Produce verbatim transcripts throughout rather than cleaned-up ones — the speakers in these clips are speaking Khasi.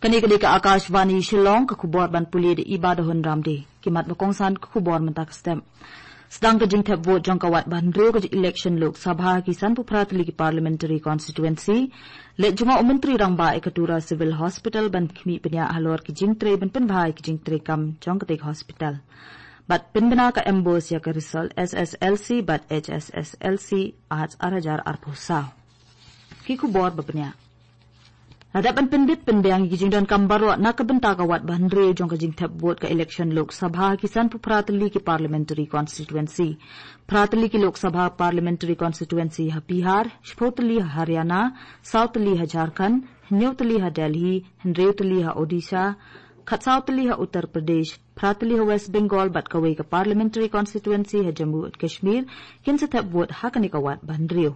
Kane ka dei ka Akashvani Shillong, ka khubor ban pule da Iba da Hun Ramde. Ki mat ba kongsan ka khubor mynta ka step. Sdang ka jingthep vote jong ka wat ba hynriew ka election Lok Sabha ki san phew phra tylli ki parliamentary constituency. Leit jngoh u Myntri Rangbah ïa ka Tura Civil Hospital ban khmih bniah halor ki jingtrei ban pynbha ïa ki jingtrei kam jong katei ka hospital. Bad pynbna ka MBOSE ïa ka result SSLC bad HSSLC Arts ar hajar arphew saw. Ki khubor ba bniah. La dep ban pyndit pynbiang ïa ki jingdonkam baroh na ka bynta ka wat ba hynriew jong ka jingthep vote ka election Lok Sabha ki san phew phra tylli ki parliamentary constituency. Phra tylli ki Lok Sabha parliamentary constituency ha Bihar, shiphew tylli ha Haryana, saw tylli ha Jharkhand, hynñiew tylli ha Delhi, hynriew tylli ha Odisha, khatsaw tylli ha Uttar Pradesh, phra tylli ha West Bengal bad kawei ka parliamentary constituency ha Jammu and Kashmir, kin sa thep vote ha kane ka wat ba hynriew.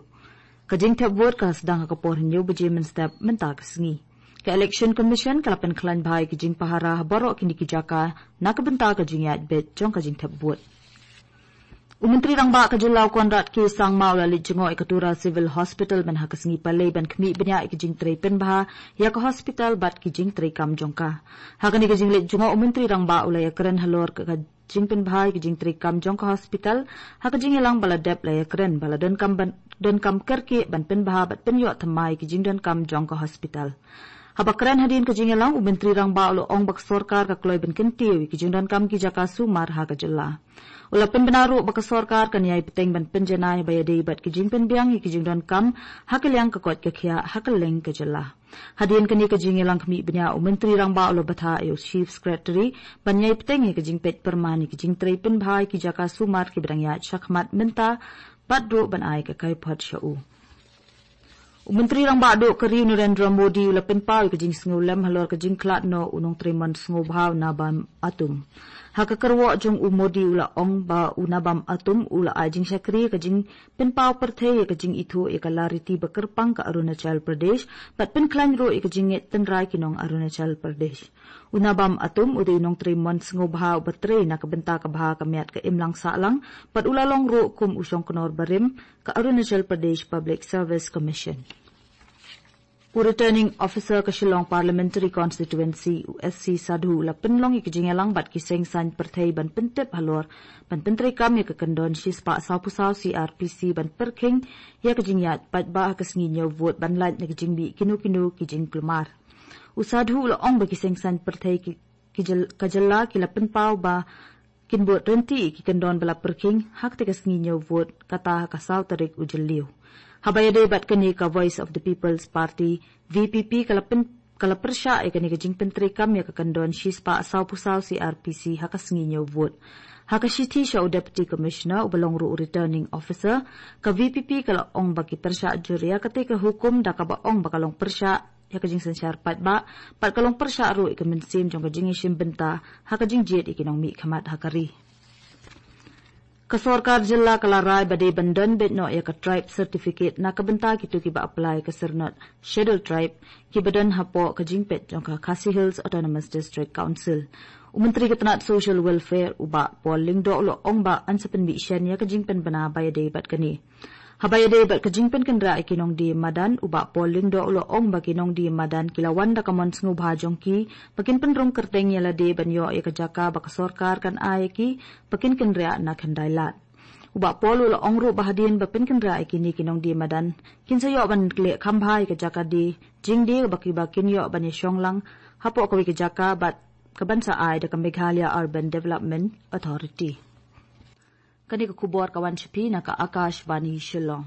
Ka jingthep vote ka sdang ha ka por hynñiew baje mynstep mynta ka sngi. Ka Election Commission ka la pynkhlaiñ bha ïa ki jingpahara ha baroh kine ki jaka na ka bynta ka jingïaid beit jong ka jingthep vote. U Myntri Rangbah ka jylla u Conrad K Sangma u la leit jngoh ïa ka Tura Civil Hospital mynha ka sngi Palei ban khmih bniah ïa ki jingtrei pynbha ïa ka hospital bad ki jingtrei kam jong ka. Ha kane ka jingleit jngoh u Myntri Rangbah u la ïakren halor ka jingpynbha ïa ki jingtrei kam jong ka hospital, ha ka jingïalang ba la dep la ïakren ba la donkam ban, donkam kyrkieh ban pynbha bad pynïoh thymmai ïa ki jingdonkam jong ka hospital. Haba kren hadien ka jingïalang u Myntri Rangbah u la ong ba ka sorkar ka kloi ban kyntiew ïa ki jingdonkam ki jaka sumar ha ka jylla. U la pynbna ruh ba ka sorkar kan ïai bteng ban pynjanai ba ïadei bad ki jingpynbiang ïa ki jingdonkam ha ka liang ka koit ka khiah ha kylleng ka jylla. Hadien kane ka jingïalang khmih bniah u Myntri Rangbah u la bthah ïa u Chief Secretary ban ïai bteng ïa ka jingpeit pyrman ïa ki jingtrei pynbha ïa ki jaka sumar kiba dang ïaid shakhmat mynta bad ruh ban ai ka kaiphod sha u. U Myntri Rangbah duh ka ri u Narendra Modi u la pynpaw ïa ka jingsngewlem halor ka jingkhlad noh u nongtrei mon sngewbha u Nabam Atum. Ha ka kyrwoh jong u Modi u la ong ba u Nabam Atum u la ai jingshakri ïa ka jingpynpaw pyrthei ïa ka jingithuh ïa ka lariti ba kyrpang ka Arunachal Pradesh bad pynkhlaiñ ruh ïa ka jingngeit tynrai ki nong Arunachal Pradesh. U Nabam Atum u dei u nongtrei mon sngewbha uba trei na ka bynta ka bha ka miat ka imlang sahlang bad u la long ruh kum u shongknor barim ka Arunachal Pradesh Public Service Commission. U Returning Officer ka Shillong Parliamentary Constituency, u S C Sadhu, u la pynlong ïa ka jingïalang bad ki seng saiñ pyrthei ban pyntip halor ban pyntreikam ïa ka kyndon shispah sawphew saw C R P C ban pyrkhing ïa ka jingïaid paidbah ha ka sngi ñiew vote ban lait na ka jingmih kino kino ki jingkulmar. U Sadhu u la ong ba ki seng saiñ pyrthei ki, ki jyl-, ka jylla ki la pynpaw ba kin bud ryntih ïa ki kyndon ba la pyrkhing ha katei ka sngi ñiew vote kata ha ka saw tarik u Jylliew. Haba ïadei bad kane ka Voice of the People's Party, V P P, ka la pyn-, ka la pyrshah ïa kane ka jingpyntreikam ïa ka kyndon shispah sawphew saw C R P C ha ka sngi ñiew vote. Ha ka shithi sha u Deputy Commissioner uba long ruh u Returning Officer, ka V P P ka la ong ba ki pyrshah jur ïa katei ka hukum da kaba ong ba ka long pyrshah ïa ka jingsynshar paidbah bad ka long pyrshah ruh ïa ka mynsiem jong ka jingïashim bynta ha ka jingjied ïa ki nongmihkhmat ha ka ri. Ka sorkar jylla ka la rai ba dei ban don beit noh ïa ka tribe certificate na ka bynta kito kiba apply ka syrnod Scheduled Tribe kiba don hapoh ka jingpeit jong ka Khasi Hills Autonomous District Council. U Myntri ka tnat Social Welfare u Bah Paul Lyngdoh u la ong ba yn sa pynmih shen ïa ka jingpynbna ba ïadei bad kane. Haba ïadei bad ka jingpynkynriah ïa ki nongdie madan, u Bah Paul Lyngdoh u la ong ba ki nongdie madan ki la wan da ka mon sngewbha jong ki ba kin pynrung kyrteng ïa lade ban ïoh ïa ka jaka ba ka sorkar kan ai ïa ki ba kin kynriah na khyndai lad. U Bah Paul u la ong ruh ba hadien ba pynkynriah ïa kine ki nongdie madan, kin sa ïoh ban leh kham bha ïa ka jaka die jingdie ba kiba kin ïoh ban ïashong lang hapoh kawei ka jaka bad ka ban sa ai da ka Meghalaya Urban Development Authority. Kane ka khubor ka wan sha phi na ka Akashvani Shillong.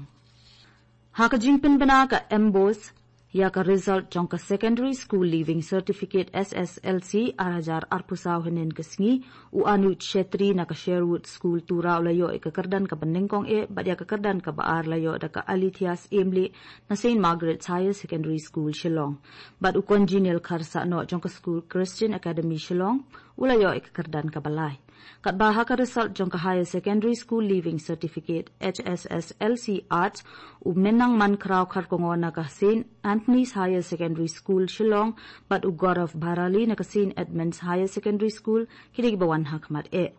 Ha ka jingpynbna ka MBOSE ïa ka result jong ka Secondary School Leaving Certificate, S S L C, ar hajar arphew saw hynnin ka sngi, u Anuj Chhetri na ka Sherwood School Tura u la ïoh ïa ka kyrdan kaba nyngkong eh bad ïa ka kyrdan kaba ar la ïoh da ka Alithias Emley na Saint Margaret's Higher Secondary School Shillong. Bad u Congenial Kharsahnoh jong ka School Christian Academy Shillong u la ïoh ïa ka kyrdan kaba lai. Katba ha ka result jong ka Higher Secondary School Leaving Certificate, H S S L C Arts, u Menangman Khraw Kharkongor na ka Saint Anthony's Higher Secondary School Shillong bad u Gaurav Bharali na ka Saint Edmund's Higher Secondary School ki dei kiba wan ha khmat eh.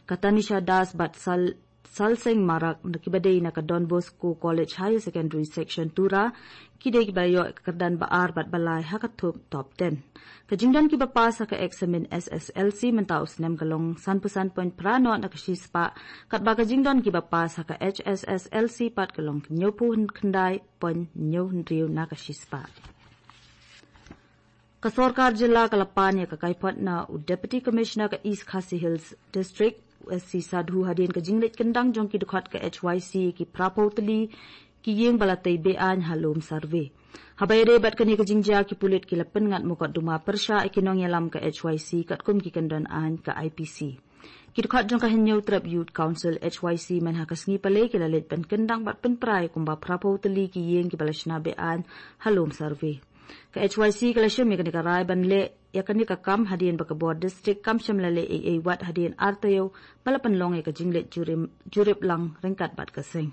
Ka Tanisha Das bad Sal-, Salseng Marak na kiba dei na ka Don Bosco College Higher Secondary Section Tura, ki dei kiba ïoh ka kyrdan ba ar bad ba lai ha ka thup top ten. Ka jingdon kiba pass ha ka eksamin S S L C mynta u snem ka long sanphew san point phra nod na ka shispah, katba ka jingdon kiba pass ha ka H S S L C pat ka long hynñiewphew khyndai point hynñiew hynriew na ka shispah. Ka sorkar jylla ka la pan ïa ka kaiphod na u Deputy Commissioner ka East Khasi Hills District, u S C Sadhu, hadien ka jingleit kyndang jong ki dkhot ka H Y C ki phraphew tylli ki ïing ba la tei be-aiñ ha lum survey. Haba ïadei bad kane ka jingjia, ki pulit ki la pynngat mukotduma pyrshah ïa ki nongïalam ka H Y C katkum ki kyndon aiñ ka I P C. Ki dkhot jong ka Hynñiewtrep Youth Council, H Y C, mynha ka sngi Palei ki la leit ban kyndang bad pynpra ïa kumba phraphew tylli ki ïing kiba la shna be-aiñ ha lum survey. Ka H Y C ka la shim ïa kane ka rai ban leh ïa kane ka kam hadien ba ka bor district kam shym la leh ei ei wat hadien ar taïew ba la pynlong ïa ka jingleit jurip, jurip lang ryngkat bad ka seng.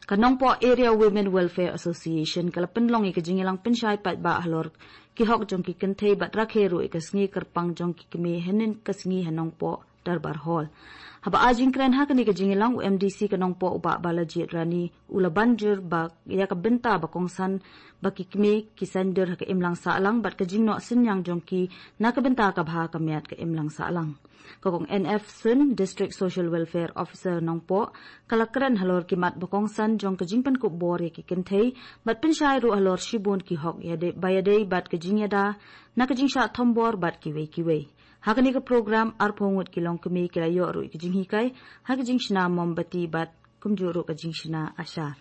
Ka Nongpoh Area Women Welfare Association ka la pynlong ïa ka jingïalang pynshai paidbah halor ki hok jong ki kynthei bad rakhe ruh ïa ka sngi kyrpang jong ki kmie hynnin ka sngi ha Nongpoh Darbar Hall. Haba ai jingkren ha kane ka jingïalang, u M D C ka Nongpoh, u Bah Balajied Rani, u la ban jur ba ïa ka bynta ba kongsan ba ki kmie ki saiñdur ha ka imlang sahlang bad ka jingnoh synñiang jong ki na ka bynta ka bha ka miat ka imlang sahlang. Ka Kong N F Sun, District Social Welfare Officer Nongpoh, ka la kren halor ki mat ba kongsan jong ka jingpynkup bor ïa ki kynthei bad pynshai ruh halor shibun ki hok ïadei, ba ïadei bad ka jingïada na ka jingshah thombor bad kiwei kiwei. Ha kane ka program, arphew ngut ki longkmie ki la ïoh ruh ïa ka jinghikai ha ka jingshna mombati bad kumjuh ruh ka jingshna ashar.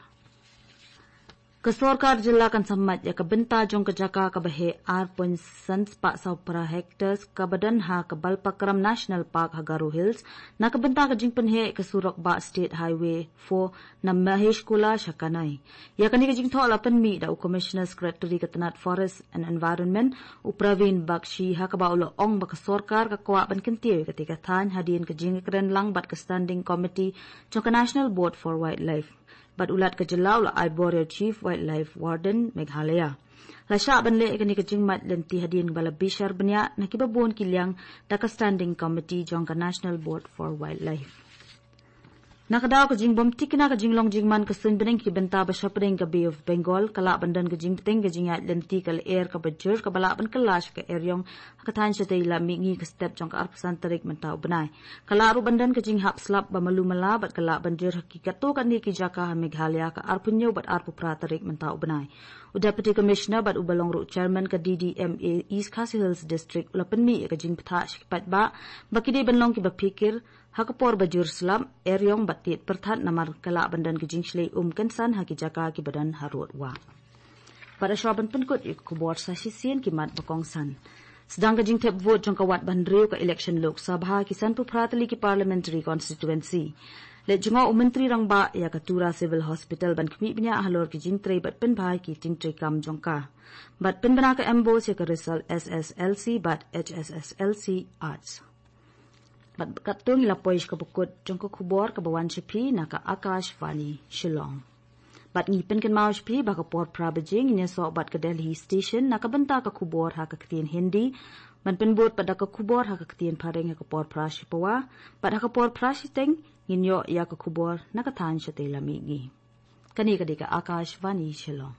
Ka sorkar jylla kan sa mad ïa ka bynta jong ka jaka kaba heh ar point san spah saw phra hectares kaba don ha ka Balpakram National Park ha Garo Hills na ka bynta ka jingpynheh ïa ka surok bah State Highway four na Maheshkula sha Kanai. Ïa kane ka jingthoh la pynmih da u Commissioner Secretary ka tnat Forest and Environment, u Praveen Bakshi, ha kaba u la ong ba ka sorkar ka kwah ban kyntiew ïa katei ka thaiñ hadien ka jingkren lang bad ka Standing Committee jong ka National Board for Wildlife. Bad u Lat ka jylla u la ai bor ïa u Chief Wildlife Warden Meghalaya. La shah ban leh ïa kane ka jingmad lynti hadien ba la bishar bniah na kiba bun ki liang da ka Standing Committee jong ka National Board for Wildlife. Na ka daw ka jingbymtikna ka jinglong jingman ka suiñ bneng ki bynta ba shapdeng ka Bay of Bengal, ka lah ban don ka jingbteng ka jingïaid lynti ka lyer kaba jur kaba lah ban kylla sha ka eriong ha ka thaiñ shatei lam mihngi ka step jong ka arphew san tarik mynta u bnai. Ka lah ruh ban don ka jinghap slap ba malu mala bad ka lah ban jur ha ki katto katne ki jaka ha Meghalaya ka arphew hynñiew bad arphew phra tarik mynta u bnai. U Deputy Commissioner bad uba long ruh Chairman ka D D M A East Khasi Hills District u la pynmih ïa ka jingbthah sha ki paidbah ba ki dei ban long kiba phikir ha ka por ba jur slap, eriong bad tied pyrthat namar ka lah ban don ka jingshlei um kynsan ha ki jaka kiba don harud wah. Bad hashwa ban pynkut ïa ka khubor, sa shisien ki mat ba kongsan. Sdang ka jingthep vote jong ka wat ba hynriew ka election Lok Sabha ki sanphew phra tylli ki parliamentary constituency. Leit jngoh u Myntri Rangbah ïa ka Tura Civil Hospital ban khmih bniah halor ki jingtrei bad pynbha ïa ki jingtrei kam jong ka. Bad pynbna ka MBOSE ïa ka result S S L C bad H S S L C Arts. Bad katto ngi la poi sha kaba kut jong ka khubor kaba wan sha phi na ka Akashvani Shillong. Bad ngi pynkynmaw sha phi ba ka por phra baje ngin ïasoh bad ka Delhi Station na ka bynta ka khubor ha ka ktien Hindi. Ban pynbud pat da ka khubor ha ka ktien Phareng ha ka por phra shi pawa. Bad ha ka por phra shiteng ngin ïoh ïa ka khubor na ka thaiñ shatei lam mihngi. Kane ka dei ka Akashvani Shillong.